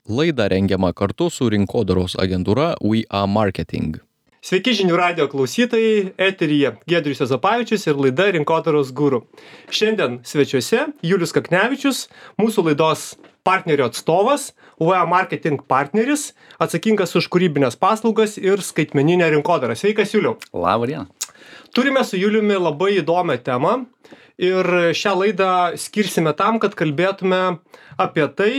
Laida rengiama kartu su rinkodaros agentūra We Are Marketing. Sveiki žinių radijo klausytojai, eteryje Giedrius Juozapavičius ir laida Rinkodaros guru. Šiandien svečiuose Julius Kaknevičius, mūsų laidos partnerio atstovas, We Are Marketing partneris, atsakingas už kūrybinės paslaugas ir skaitmeninę rinkodarą. Sveikas, Juliau. Labą dieną. Turime su Juliumi labai įdomią temą ir šią laidą skirsime tam, kad kalbėtume apie tai,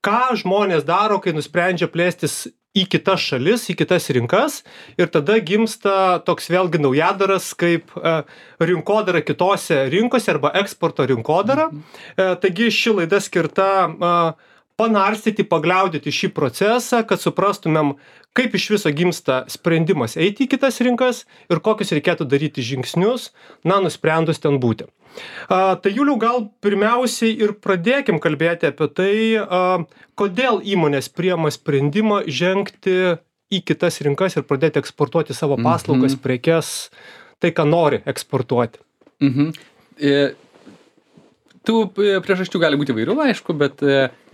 ką žmonės daro, kai nusprendžia plėstis į kitas šalis, į kitas rinkas ir tada gimsta toks vėlgi naujadaras kaip rinkodara kitose rinkose arba eksporto rinkodara. Taigi ši laida skirta panarstyti, pagliaudyti šį procesą, kad suprastumėm, kaip iš viso gimsta sprendimas eiti į kitas rinkas ir kokius reikėtų daryti žingsnius, nusprendus ten būti. Tai Juliau, gal pirmiausiai ir pradėkim kalbėti apie tai, kodėl įmonės priima sprendimą žengti į kitas rinkas ir pradėti eksportuoti savo paslaugas, prekes, tai, ką nori eksportuoti. Tų priežasčių gali būti įvairių, aišku, bet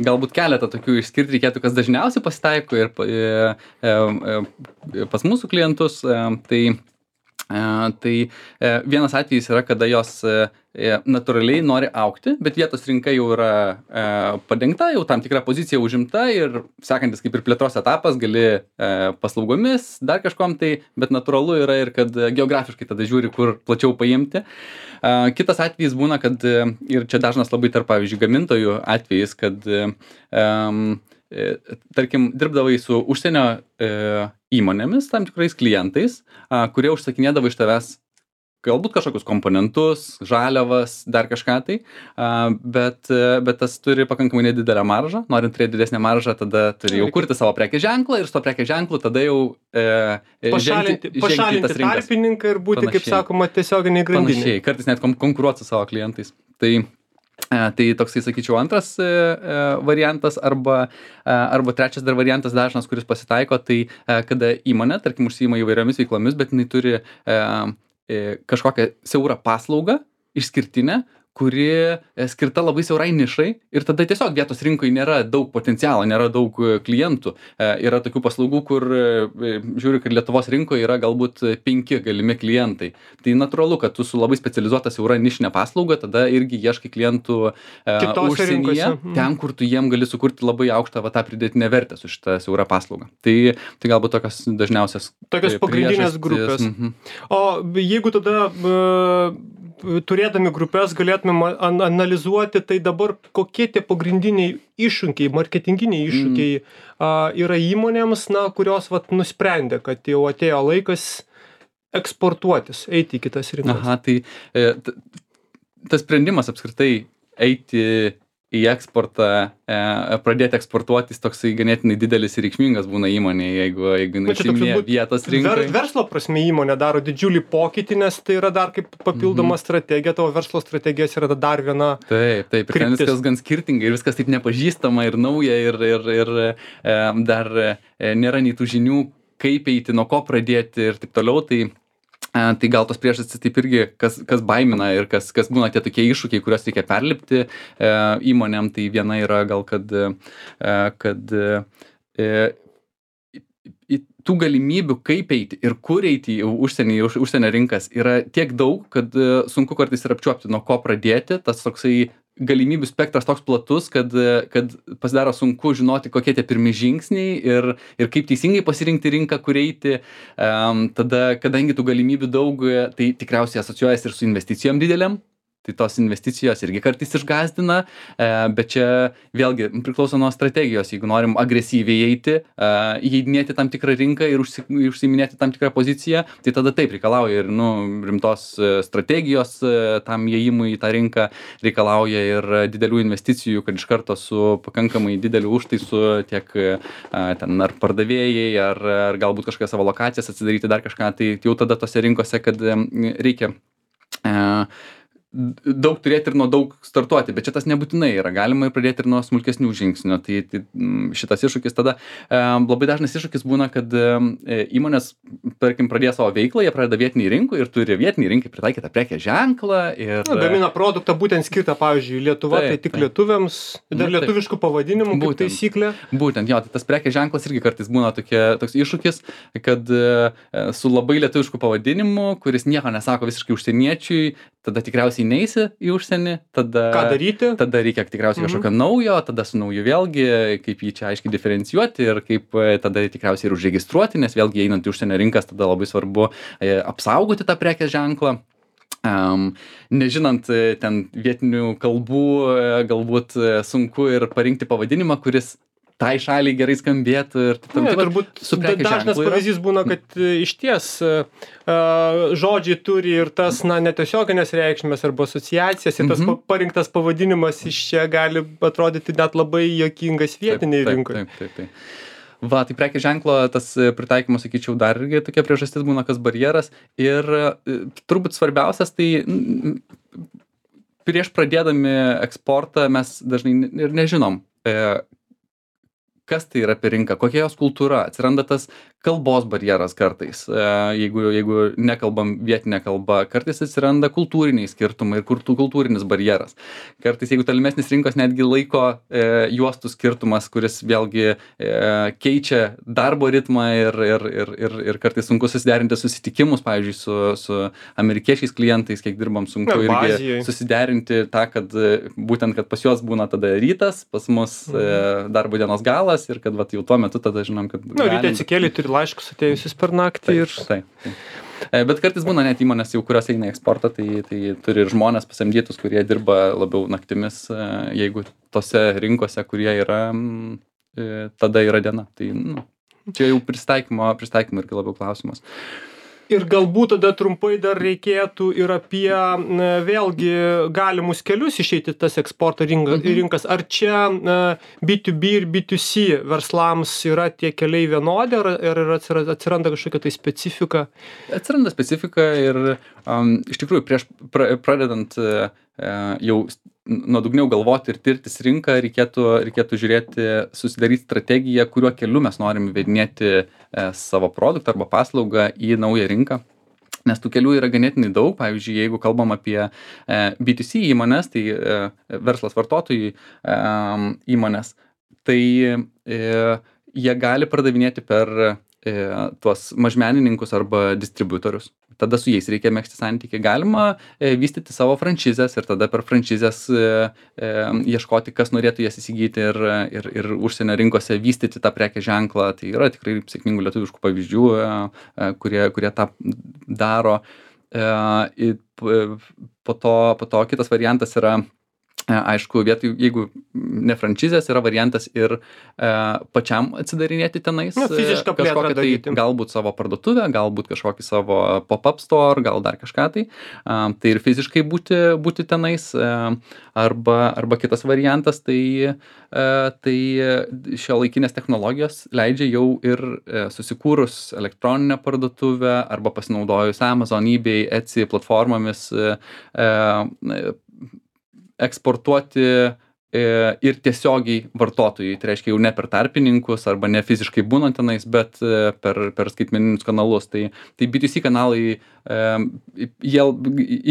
galbūt keletą tokių išskirti reikėtų, kas dažniausiai pasitaiko ir pas mūsų klientus. Tai vienas atvejis yra, kada jos natūraliai nori augti, bet vietos rinka jau yra padengta, jau tam tikra pozicija užimta ir sekantis kaip ir plėtros etapas gali paslaugomis, dar kažkom tai, bet natūralu yra ir kad geografiškai tada žiūri, kur plačiau paimti. Kitas atvejis būna, kad ir čia dažnas labai tarp, pavyzdžiui, gamintojų atvejis, kad tarkim, dirbdavai su užsienio įmonėmis, tam tikrais klientais, kurie užsakinėdavo iš tavęs galbūt kažkokius komponentus, žaliavas, dar kažką tai, bet tas turi pakankamai nedidelę maržą. Norint turėti didesnę maržą, tada turi jau kurti savo prekės ženklą ir su to prekės ženklu tada jau pašalinti tarpininką ir būti, panašiai, kaip sakoma, tiesioginiai grandinė. Panašiai, kartais net konkuruoti su savo klientais. Tai toksai, sakyčiau, antras variantas arba trečias dar variantas dažnas, kuris pasitaiko, tai kada įmonė, tarkim, užsiima įvairiomis veiklomis, bet jinai turi kažkokią siaurą paslaugą, išskirtinę, kuri skirta labai siaurai nišai ir tada tiesiog vietos rinkoje nėra daug potencialo, nėra daug klientų. Yra tokių paslaugų, kur žiūri, kad Lietuvos rinkoje yra galbūt 5 galimi klientai. Tai natūralu, kad tu su labai specializuota siaura nišinė paslauga, tada irgi ieškai klientų užsienyje, ten, kur tu jiem gali sukurti labai aukštą tą pridėtinę vertę su šitą siaurą paslaugą. Tai galbūt tokios dažniausias tokios pagrindinės grupės. O jeigu tada turėdami grupės galėtumėm analizuoti, tai dabar kokie tie pagrindiniai iššūkiai, marketinginiai iššūkiai yra įmonėms, kurios nusprendė, kad jau atėjo laikas eksportuotis, eiti į kitas rinkas. Aha, tai tas sprendimas apskritai eiti į eksportą, pradėti eksportuotis toksai ganėtinai didelis ir reikšmingas būna įmonėje, jeigu užsiiminėja vietos rinkai. Verslo prasme įmonė daro didžiulį pokytį, nes tai yra dar kaip papildoma strategija, tavo verslo strategijos yra dar viena. Taip, ir ten viskas gan skirtingai ir viskas taip nepažįstama ir nauja ir dar nėra nei tų žinių, kaip eiti, nuo ko pradėti ir taip toliau. Tai gal tos priežastys taip irgi, kas baimina ir kas būna tie tokie iššūkiai, kuriuos reikia perlipti įmonėm, tai viena yra gal, kad tų galimybių, kaip eiti ir kur eiti į užsienio rinkas yra tiek daug, kad sunku kartais ir apčiuopti, nuo ko pradėti. Tas toksai galimybių spektras toks platus, kad pasidaro sunku žinoti, kokie tie pirmi žingsniai ir kaip teisingai pasirinkti rinką, kur eiti. Tada, kadangi tų galimybių daug, tai tikriausiai asocijuojasi ir su investicijom didelėm. Tai tos investicijos irgi kartais išgąsdina, bet čia vėlgi priklauso nuo strategijos. Jeigu norim agresyviai eiti, įeidinėti tam tikrą rinką ir užsiiminėti tam tikrą poziciją, tai tada taip reikalauja ir rimtos strategijos tam įėjimui į tą rinką, reikalauja ir didelių investicijų, kad iš karto su pakankamai dideliu užtaisu tiek ten ar pardavėjai, ar galbūt kažkokią savo lokacijas atsidaryti dar kažką, tai jau tada tose rinkose, kad reikia daug turėti ir nuo daug startuoti, bet čia tas nebūtinai yra, galima ir pradėti ir nuo smulkesnių žingsnių. Tai šitas iššūkis tada, labai dažnas iššūkis būna, kad įmonės, tarkim, pradėjo savo veiklą, jie pradeda vietiniai rinkui ir turi vietiniai rinkai pritaikytą prekės ženklą. Ir gamina produktą būtent skirtą, pavyzdžiui, Lietuva, tai tik lietuviams, dar lietuviškų pavadinimų, kaip taisyklė. Būtent, jo, tai tas prekės ženklas irgi kartais būna toks iššūkis, kad su labai lietuvišku pavadinimu, kuris nieko nesako visiškai užsieniečiui, tada tikriausiai neisi į užsienį, tada ką daryti? Tada reikia tikriausiai kažkokio naujo, tada su nauju vėlgi, kaip jį čia aiškiai diferencijuoti ir kaip tada tikriausiai ir užregistruoti, nes vėlgi einant į užsienio rinkas, tada labai svarbu apsaugoti tą prekės ženklą. Nežinant ten vietinių kalbų, galbūt sunku ir parinkti pavadinimą, kuris tai šaliai gerai skambėtų ir taip. Turbūt dažnas pavyzdys būna, kad išties žodžiai turi ir tas netiesioginės reikšmės arba asociacijas ir tas parinktas pavadinimas iš čia gali atrodyti net labai juokingas vietiniai rinkoje. Taip. Va, tai prekės ženklo tas pritaikymas, sakyčiau, dar irgi tokia priežastis būna, kas barjeras. Ir turbūt svarbiausias, tai prieš pradėdami eksportą mes dažnai ir nežinom, kas tai yra per rinką, kokia jos kultūra, atsiranda tas kalbos barjeras kartais, jeigu nekalbam vietinę kalbą, kartais atsiranda kultūriniai skirtumai ir kultūrinis barjeras. Kartais, jeigu tolimesnis rinkos netgi laiko juostų skirtumas, kuris vėlgi keičia darbo ritmą ir kartais sunku susiderinti susitikimus, pavyzdžiui, su amerikiečiais klientais, kiek dirbam, sunku irgi susiderinti tą, kad būtent, kad pas juos būna tada rytas, pas mus darbo dienos galas ir kad jau tuo metu tada žinom, kad... Ryte atsikėlė, turi laiškus atėjusius per naktį ir... Taip. Bet kartais būna net įmonės, jau kurios eina į eksportą, tai turi ir žmonės pasamdytus, kurie dirba labiau naktimis, jeigu tose rinkose, kurie yra, tada yra diena. Tai čia jau pristaikymo irgi labiau klausimas. Ir galbūt tada trumpai dar reikėtų ir apie vėlgi galimus kelius išeiti tas eksporto rinkas. Ar čia B2B ir B2C verslams yra tie keliai vienodi, ar atsiranda kažkokia tai specifika? Atsiranda specifika ir iš tikrųjų prieš pradedant jau nuodugniau galvoti ir tirtis rinką, reikėtų žiūrėti, susidaryti strategiją, kuriuo keliu mes norim įvedinėti savo produktą arba paslaugą į naują rinką. Nes tų kelių yra ganėtinai daug. Pavyzdžiui, jeigu kalbam apie B2C įmonės, tai verslas vartotojų įmonės, tai jie gali pardavinėti per tuos mažmenininkus arba distributorius. Tada su jais reikia megzti santykį. Galima vystyti savo franšizes ir tada per franšizes ieškoti, kas norėtų jas įsigyti ir užsienio rinkose vystyti tą prekės ženklą. Tai yra tikrai sėkmingų lietuviškų pavyzdžių, kurie tą daro. Po to kitas variantas yra, aišku, vietoj, jeigu ne franšizės, yra variantas ir pačiam atsidarinėti tenais. Fizišką plėtrą daryti. Galbūt savo parduotuvę, galbūt kažkokį savo pop-up store, gal dar kažką tai. Tai ir fiziškai būti tenais. Arba kitas variantas, tai šiuolaikinės technologijos leidžia jau ir susikūrus elektroninę parduotuvę arba pasinaudojus Amazon, eBay, Etsy platformomis eksportuoti ir tiesiogiai vartotojai. Tai reiškia jau ne per tarpininkus arba ne fiziškai būnant tenais, bet per skaitmeninius kanalus. Tai B2C kanalai jie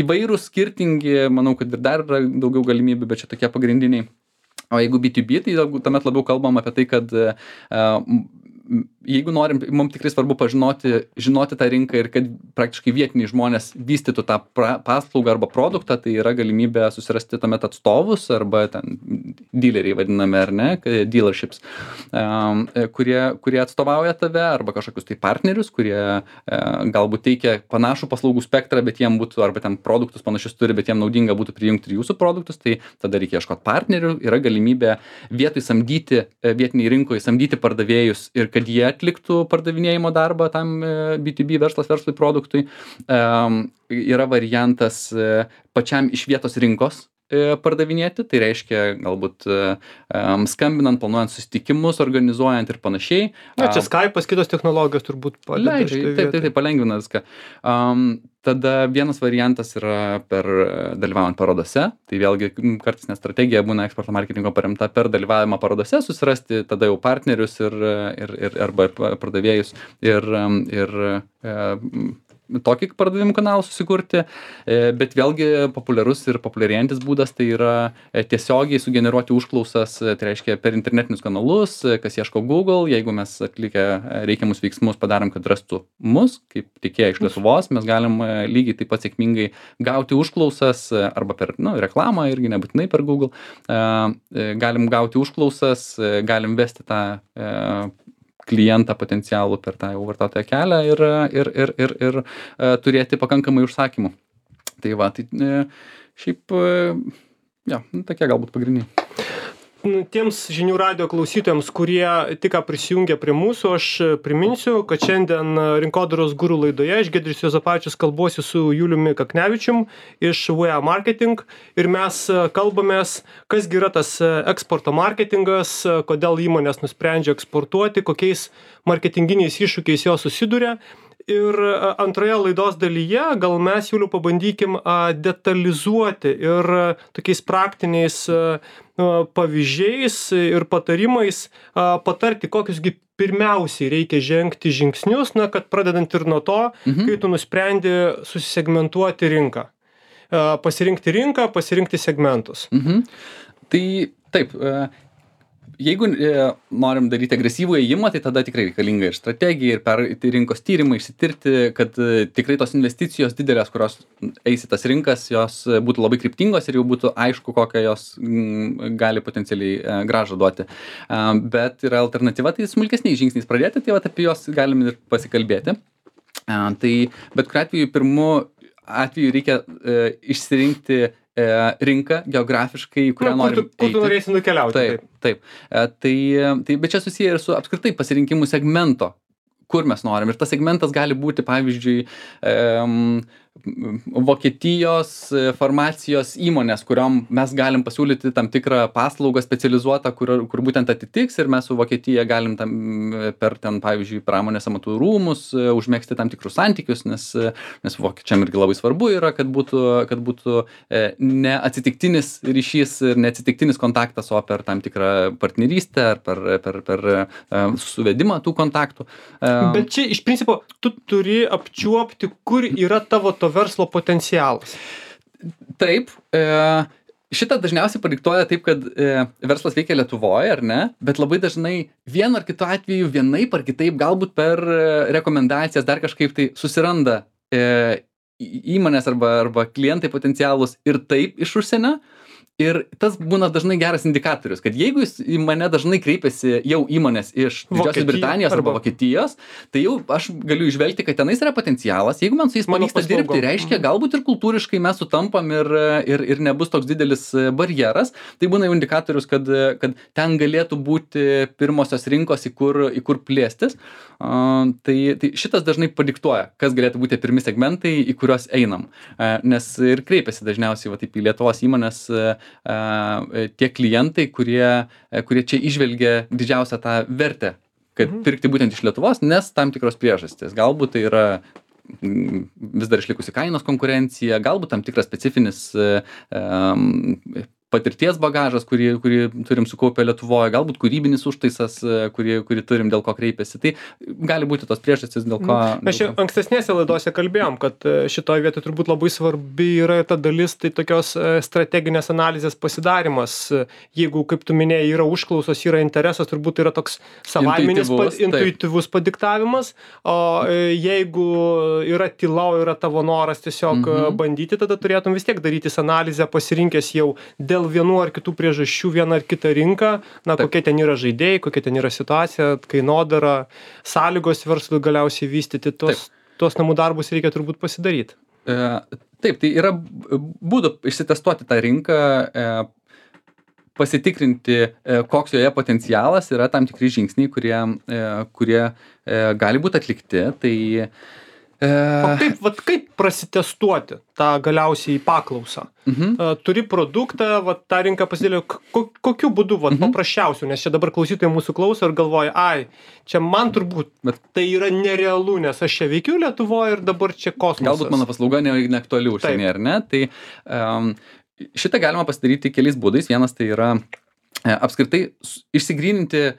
įvairūs, skirtingi, manau, kad ir dar yra daugiau galimybių, bet čia tokie pagrindiniai. O jeigu B2B, tai tuomet labiau kalbam apie tai, kad jeigu norim, mums tikrai svarbu žinoti tą rinką ir kad praktiškai vietiniai žmonės vystytų tą paslaugą arba produktą, tai yra galimybė susirasti tuomet atstovus arba ten dealeriai vadiname, ar ne, dealerships, kurie atstovauja tave arba kažkokius tai partnerius, kurie galbūt teikia panašų paslaugų spektrą, bet jiem būtų, arba ten produktus panašius turi, bet jiem naudinga būtų prijungti ir jūsų produktus, tai tada reikia ieškoti partnerių, yra galimybė vietoj samdyti, vietiniai rinkoje samdyti pardavėjus ir kad jie atliktų pardavinėjimo darbą tam B2B verslui produktui. Yra variantas pačiam iš vietos rinkos pardavinėti, tai reiškia galbūt skambinant, planuojant susitikimus, organizuojant ir panašiai. Čia Skype'as, kitos technologijos turbūt padeda. Taip, palengvina viską. tada vienas variantas yra per dalyvaujant parodose, tai vėlgi kartais net strategija būna eksporto marketingo paremta per dalyvavimą parodose, susirasti tada jau partnerius arba pardavėjus ir tokį pardavimų kanalą susikurti, bet vėlgi populiarus ir populiarėjantis būdas tai yra tiesiogiai sugeneruoti užklausas, tai reiškia per internetinius kanalus, kas ieško Google, jeigu mes atlikę reikiamus veiksmus padarom, kad rastų mus, kaip tiekėją iš Lietuvos, mes galim lygiai taip pat sėkmingai gauti užklausas arba per reklamą, irgi nebūtinai per Google, galim gauti užklausas, galim vesti tą klientą potencialų per tą jau vartotojo kelią ir turėti pakankamai užsakymų. Tai va, tai šiaip, tokie galbūt pagrindiniai. Tiems žinių radijo klausytojams, kurie tik prisijungia prie mūsų, aš priminsiu, kad šiandien Rinkodaros guru laidoje aš Giedrius Juozapavičius kalbuosi su Juliumi Kaknevičium iš We Are Marketing ir mes kalbamės, kas gi yra tas eksporto marketingas, kodėl įmonės nusprendžia eksportuoti, kokiais marketinginiais iššūkiais jos susiduria. Ir antroje laidos dalyje gal mes, Juliau, pabandykim detalizuoti ir tokiais praktiniais pavyzdžiais ir patarimais patarti, kokiusgi pirmiausiai reikia žengti žingsnius, kad pradedant ir nuo to, kai tu nusprendi susisegmentuoti rinką. Pasirinkti rinką, pasirinkti segmentus. Tai taip, jeigu norim daryti agresyvų ėjimą, tai tada tikrai reikalinga ir strategija, ir rinkos tyrimai, išsitirti, kad tikrai tos investicijos didelės, kurios eis į tas rinkas, jos būtų labai kryptingos ir jau būtų aišku, kokią jos gali potencialiai grąžą duoti. Bet yra alternatyva, tai smulkesniais žingsniais pradėti, tai apie juos galim ir pasikalbėti. Tai bet kuriuo atveju, pirmu atveju reikia išsirinkti rinką geografiškai, kurią norim eiti. Kur tu norėsi nukeliauti. Taip. Bet čia susiję ir su apskritai pasirinkimu segmento, kur mes norim. Ir tas segmentas gali būti, pavyzdžiui, Vokietijos farmacijos įmonės, kuriom mes galim pasiūlyti tam tikrą paslaugą specializuotą, kur būtent atitiks ir mes su Vokietija galim per ten, pavyzdžiui, pramonės amatų rūmus užmėgsti tam tikrus santykius, nes vokiečiam irgi labai svarbu yra, kad būtų ne atsitiktinis ryšys ir ne atsitiktinis kontaktas, o per tam tikrą partnerystę ar per suvedimą tų kontaktų. Bet čia iš principo tu turi apčiuopti, kur yra tavo to verslo potencialas. Taip, šitą dažniausiai padiktuoja taip, kad verslas veikia Lietuvoje, ar ne, bet labai dažnai vienu ar kitu atveju vienaip ar kitaip, galbūt per rekomendacijas dar kažkaip tai susiranda įmonės arba klientai potencialus ir taip iš užsienio. Ir tas būna dažnai geras indikatorius, kad jeigu į mane dažnai kreipiasi jau įmonės iš Didžiosios Britanijos arba Vokietijos, tai jau aš galiu išvelgti, kad tenais yra potencialas. Jeigu man su jais pavyksta dirbti, reiškia, galbūt ir kultūriškai mes sutampam ir nebus toks didelis barjeras. Tai būna jau indikatorius, kad ten galėtų būti pirmosios rinkos, į kur plėstis. Tai šitas dažnai padiktuoja, kas galėtų būti pirmi segmentai, į kuriuos einam. Nes ir kreipiasi dažniausiai taip į Lietuvos įmonės tie klientai, kurie čia įžvelgia didžiausią tą vertę, kad pirkti būtent iš Lietuvos, nes tam tikros priežastys. Galbūt tai yra vis dar išlikusi kainos konkurencija, galbūt tam tikras specifinis patirties bagažas, kurį turim sukaupę Lietuvoje, galbūt kūrybinis užtaisas, kurį turim, dėl ko kreipiasi. Tai gali būti tos priežastys, dėl ko... Mes ankstesnėse laidose kalbėjom, kad šitoje vietoje turbūt labai svarbi yra ta dalis, tai tokios strateginės analizės pasidarimas. Jeigu, kaip tu minėjai, yra užklausos, yra interesas, turbūt yra toks savaiminis, intuityvus padiktavimas, o jeigu yra tyla, yra tavo noras tiesiog bandyti, tada turėtum vis tiek darytis analizę, pasirinkęs jau dėl vienų ar kitų priežasčių vieną ar kitą rinką, kokie ten yra žaidėjai, kokia ten yra situacija, kainodara, sąlygos verslui galiausiai vystyti, tuos namų darbus reikia turbūt pasidaryti. Taip, tai yra būdų išsitestuoti tą rinką, pasitikrinti, koks joje potencialas, yra tam tikri žingsniai, kurie gali būti atlikti. Tai O kaip prasitestuoti tą galiausiai paklausą? Turi produktą, tą rinką pasidėlė, kokiu būdu, paprasčiausiu, nes čia dabar klausytojai mūsų klauso ir galvoja, čia man turbūt, tai yra nerealu, nes aš čia veikiu Lietuvoje ir dabar čia kosmosas. Galbūt mano paslauga neaktuali užsienyje, ar ne? Tai šitą galima pasidaryti keliais būdais. Vienas tai yra apskritai išsigryninti,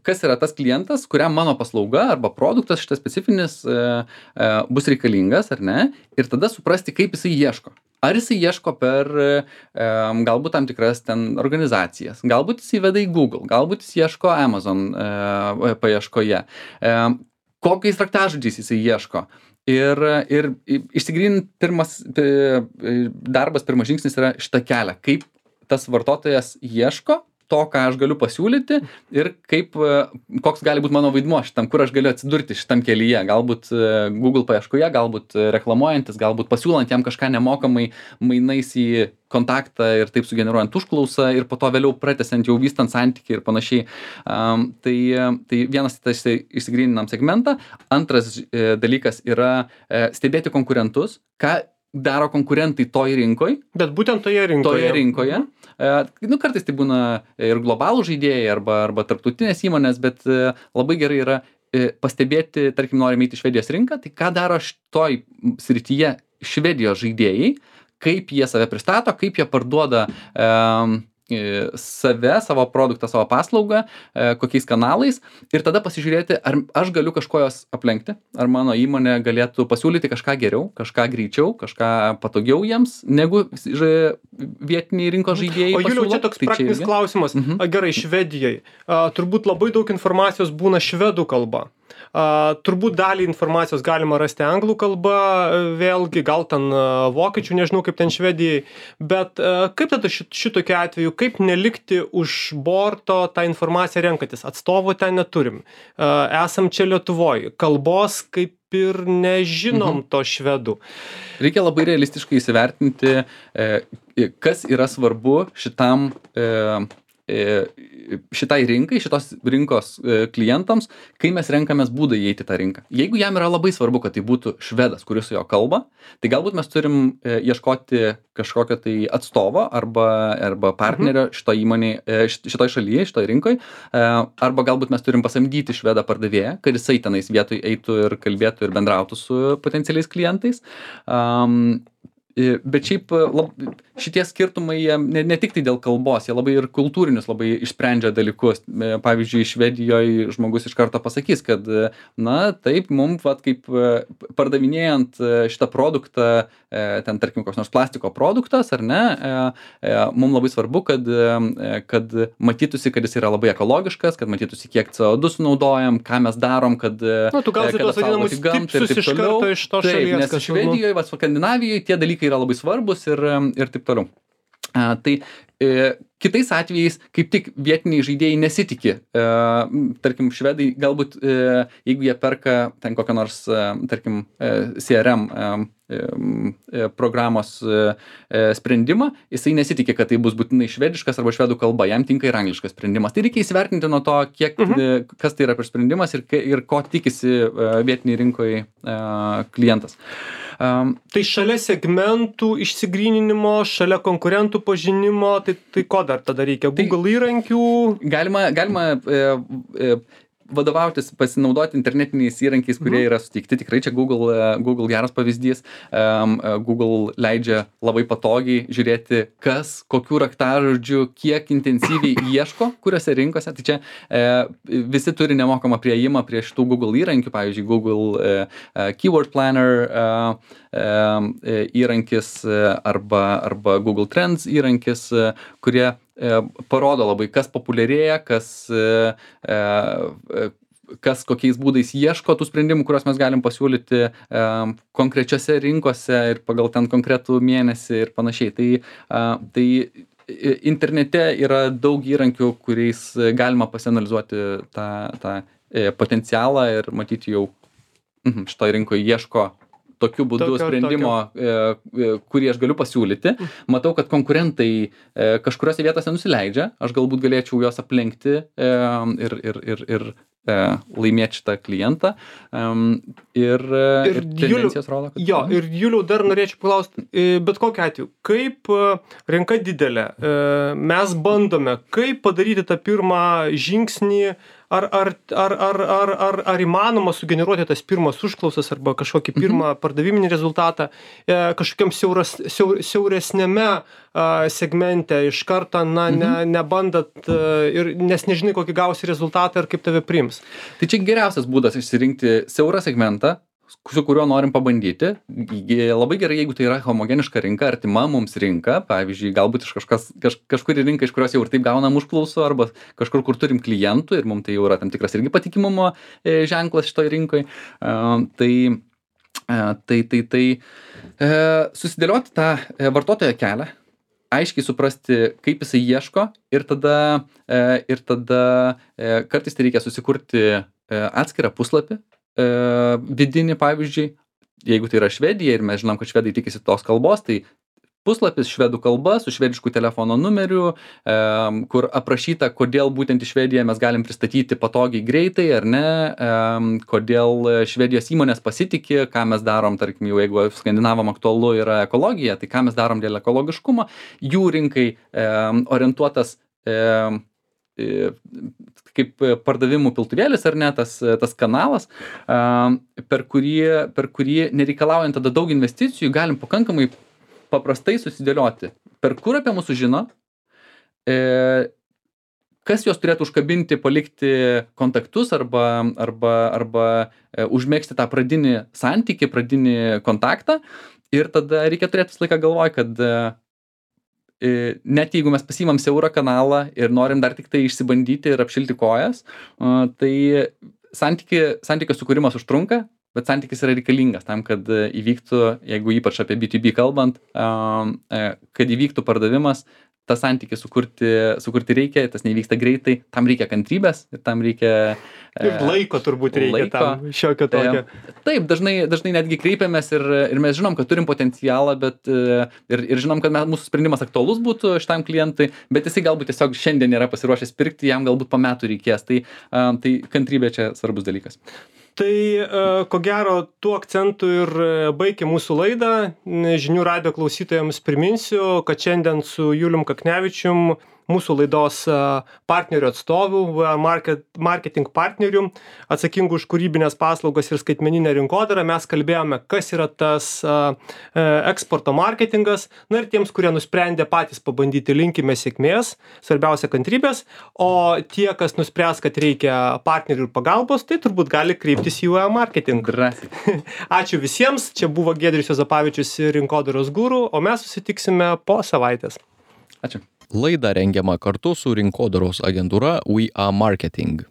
kas yra tas klientas, kuriam mano paslauga arba produktas šitas specifinis bus reikalingas, ar ne? Ir tada suprasti, kaip jisai ieško. Ar jisai ieško per galbūt tam tikras ten organizacijas, galbūt jisai veda į Google, galbūt jis ieško Amazon paieškoje, kokiais raktažodžiais jisai ieško. Ir išsigryninti pirmas žingsnis yra šitą kelią, kaip tas vartotojas ieško to, ką aš galiu pasiūlyti ir koks gali būti mano vaidmuo šitam, kur aš galiu atsidurti šitam kelyje. Galbūt Google paieškoje, galbūt reklamuojantis, galbūt pasiūlant jam kažką nemokamai mainais į kontaktą ir taip sugeneruojant užklausą ir po to vėliau pratęsiant jau vystant santykį ir panašiai. Tai vienas išsigryninam segmentą. Antras dalykas yra stebėti konkurentus, ką daro konkurentai toj rinkoj. Bet būtent toje rinkoje. Kartais tai būna ir globalų žaidėjai arba tarptautinės įmonės, bet labai gerai yra pastebėti, tarkim, norime eiti į Švedijos rinką, tai ką daro šitoj srityje Švedijos žaidėjai, kaip jie save pristato, kaip jie parduoda savo produktą, savo paslaugą, kokiais kanalais ir tada pasižiūrėti, ar aš galiu kažko jos aplenkti, ar mano įmonė galėtų pasiūlyti kažką geriau, kažką greičiau, kažką patogiau jiems, negu vietiniai rinkos žaidėjai. O Juliau, čia toks praktinis klausimas. Gerai, Švedijai. Turbūt labai daug informacijos būna švedų kalba. Turbūt dalį informacijos galima rasti anglų kalba, vėlgi, gal ten vokiečių, nežinau kaip ten Švedijai, bet kaip tada šitokiu atveju, kaip nelikti už borto tą informaciją renkantis? Atstovo ten neturim. Esam čia Lietuvoje. Kalbos kaip ir nežinom to švedų. Reikia labai realistiškai įsivertinti, kas yra svarbu šitai rinkai, šitos rinkos klientams, kai mes renkamės būdą įeiti tą rinką. Jeigu jam yra labai svarbu, kad tai būtų švedas, kuris su jo kalba, tai galbūt mes turim ieškoti kažkokio tai atstovo arba partnerio šitoj šalyje, šitoj rinkoj, arba galbūt mes turim pasamdyti švedą pardavėją, kad jisai tenais vietoj eitų ir kalbėtų ir bendrautų su potencialiais klientais. Bet šiaip šitie skirtumai ne tik tai dėl kalbos, jie labai ir kultūrinius labai išsprendžia dalykus. Pavyzdžiui, Švedijoje žmogus iš karto pasakys, kad taip, mums kaip pardavinėjant šitą produktą, ten tarkim koks nors plastiko produktas, ar ne, mums labai svarbu, kad matytųsi, kad jis yra labai ekologiškas, kad matytųsi, kiek CO2 sunaudojam, ką mes darom, kad tu gal tuos vadinamus tipsus iš karto iš to šalies. Nes Švedijoje, Skandinavijoje tie dalykai yra labai svarbus ir taip toliau. Tai kitais atvejais kaip tik vietiniai žaidėjai nesitikė. Tarkim, švedai galbūt, jeigu jie perka ten kokią nors, tarkim, CRM programos sprendimą, jisai nesitikė, kad tai bus būtinai švediškas arba švedų kalba, jam tinka ir angliškas sprendimas. Tai reikia įsivertinti nuo to, kas tai yra per sprendimas ir ko tikisi vietiniai rinkoje klientas. Tai šalia segmentų išsigryninimo, šalia konkurentų pažinimo, tai ko dar tada reikia? Google įrankių? Galima vadovautis, pasinaudoti internetiniais įrankiais, kurie yra suteikti. Tikrai čia Google geras pavyzdys. Google leidžia labai patogiai žiūrėti, kas, kokių raktažodžių, kiek intensyviai ieško, kuriuose rinkose. Tai čia visi turi nemokamą priėjimą prie šitų Google įrankių, pavyzdžiui, Google Keyword Planner įrankis arba Google Trends įrankis, kurie parodo labai, kas populiarėja, kas kokiais būdais ieško tų sprendimų, kuriuos mes galim pasiūlyti konkrečiose rinkose ir pagal ten konkretų mėnesį ir panašiai. Tai internete yra daug įrankių, kuriais galima pasianalizuoti tą potencialą ir matyti jau šitoj rinkoje ieško tokiu būdu sprendimo, kurį aš galiu pasiūlyti. Matau, kad konkurentai kažkuriuose vietose nusileidžia, aš galbūt galėčiau juos aplenkti ir laimėti šitą klientą. Ir tendencijos rodo, kad... Jo, ir Juliau, dar norėčiau paklausti, bet kokiu atveju, kaip rinka didelė, mes bandome, kaip padaryti tą pirmą žingsnį, ar įmanoma sugeneruoti tas pirmas užklausas arba kažkokį pirmą pardaviminį rezultatą kažkokiam siauresnėme segmente iš karto, nebandat ir nes nežinai, kokį gausi rezultatą ir kaip tave priims. Tai čia geriausias būdas išsirinkti siaurą segmentą, su kuriuo norim pabandyti. Labai gerai, jeigu tai yra homogeniška rinka, artima mums rinka, pavyzdžiui, galbūt iš kažkuri rinka, iš kurios jau ir taip gaunam užklausų, arba kažkur, kur turim klientų ir mums tai jau yra tam tikras irgi patikimumo ženklas šitoj rinkoj. Susidėlioti tą vartotojo kelią, aiškiai suprasti, kaip jisai ieško ir tada kartais tai reikia susikurti atskirą puslapį, vidinį, pavyzdžiui, jeigu tai yra Švedija ir mes žinom, kad švedai tikisi tos kalbos, tai puslapis švedų kalba su švedišku telefono numeriu, kur aprašyta, kodėl būtent į Švediją mes galim pristatyti patogiai greitai, ar ne, kodėl Švedijos įmonės pasitikė, ką mes darom, tarkim, jeigu skandinavam aktualu yra ekologija, tai ką mes darom dėl ekologiškumo, jų rinkai orientuotas kaip pardavimų piltuvėlis, ar ne, tas kanalas, per kurį nereikalaujant tada daug investicijų, galim pakankamai paprastai susidėlioti, per kur apie mūsų žino, kas juos turėtų užkabinti, palikti kontaktus arba užmegzti tą pradinį santykį, pradinį kontaktą ir tada reikia turėti visą laiką galvoj, kad net jeigu mes pasiimam siaurą kanalą ir norim dar tik tai išsibandyti ir apšilti kojas, tai santykio sukūrimas užtrunka, bet santykis yra reikalingas tam, kad įvyktų, jeigu ypač apie B2B kalbant, kad įvyktų pardavimas, tą santykį sukurti reikia, tas nevyksta greitai, tam reikia kantrybės ir tam reikia... Ir laiko turbūt reikia tam šiokio tokio. Taip, dažnai netgi kreipiamės ir mes žinom, kad turim potencialą, bet ir žinom, kad mūsų sprendimas aktualus būtų šitam klientui, bet jisai galbūt tiesiog šiandien nėra pasiruošęs pirkti, jam galbūt po metų reikės. Tai kantrybė čia svarbus dalykas. Tai ko gero tuo akcentu ir baigia mūsų laidą. Žinių radijo klausytojams priminsiu, kad šiandien su Julium Kaknevičium, mūsų laidos partnerių atstovų, marketing partnerių, atsakingų už kūrybinės paslaugas ir skaitmeninę rinkodarą, mes kalbėjome, kas yra tas eksporto marketingas. Na ir tiems, kurie nusprendė patys pabandyti, linkime sėkmės, svarbiausia kantrybės, o tie, kas nuspręs, kad reikia partnerių ir pagalbos, tai turbūt gali kreiptis į UA Marketing. Ačiū visiems, čia buvo Giedrius Juozapavičius ir Rinkodaros guru, o mes susitiksime po savaitės. Ačiū. Laida rengiama kartu su Rinkodaros agentūra We Are Marketing.